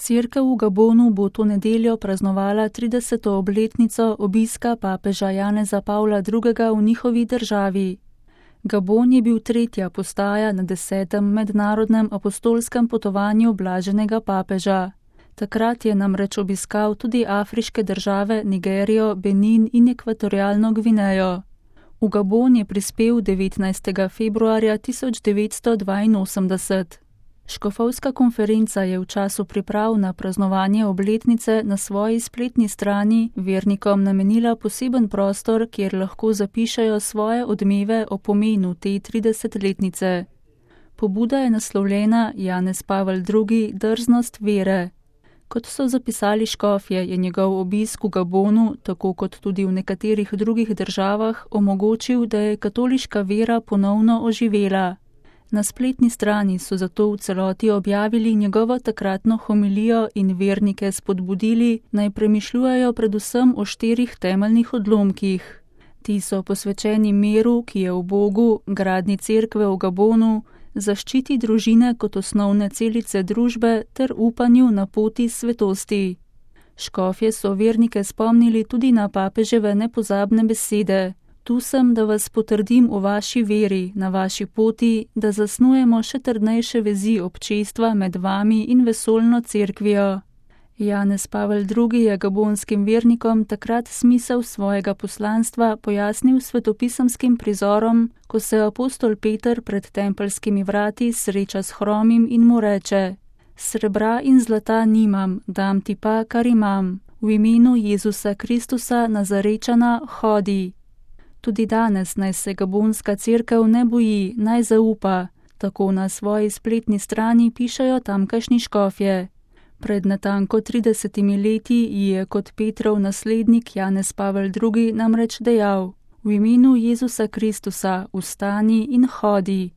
Cerkev v Gabonu bo to nedeljo praznovala 30. obletnico obiska papeža Janeza Pavla II. V njihovi državi. Gabon je bil tretja postaja na 10. mednarodnem apostolskem potovanju blaženega papeža. Takrat je namreč obiskal tudi afriške države Nigerijo, Benin in Ekvatorialno Gvinejo. V Gabon je prispel 19. februarja 1982. Škofovska konferenca je v času priprav na praznovanje obletnice na svoji spletni strani vernikom namenila poseben prostor, kjer lahko zapišejo svoje odmeve o pomenu te 30-letnice. Pobuda je naslovljena Janez Pavel II. Drznost vere. Kot so zapisali škofje, je njegov obisk v Gabonu, tako kot tudi v nekaterih drugih državah, omogočil, da je katoliška vera ponovno oživela. Na spletni strani so zato v celoti objavili njegovo takratno homilijo in vernike spodbudili, naj premišljujejo predvsem o 4 temeljnih odlomkih. Ti so posvečeni miru, ki je v Bogu, gradnji cerkve v Gabonu, zaščiti družine kot osnovne celice družbe ter upanju na poti svetosti. Škofje so vernike spomnili tudi na papeževe nepozabne besede. Tu sem, da vas potrdim v vaši veri, na vaši poti, da zasnujemo še trdnejše vezi občestva med vami in vesoljno cerkvijo. Janez Pavel II. Je gabonskim vernikom takrat smisel svojega poslanstva pojasnil svetopisemskim prizorom, ko se apostol Peter pred tempeljskimi vrati sreča s hromim in mu reče: Srebra in zlata nimam, dam ti pa, kar imam. V imenu Jezusa Kristusa Nazarečana hodi. Tudi danes naj se gabonska cerkev ne boji, naj zaupa, tako na svoji spletni strani pišejo tamkajšnji škofje. Pred natanko 30 leti ji je kot Petrov naslednik Janez Pavel II. Namreč dejal: V imenu Jezusa Kristusa vstani in hodi.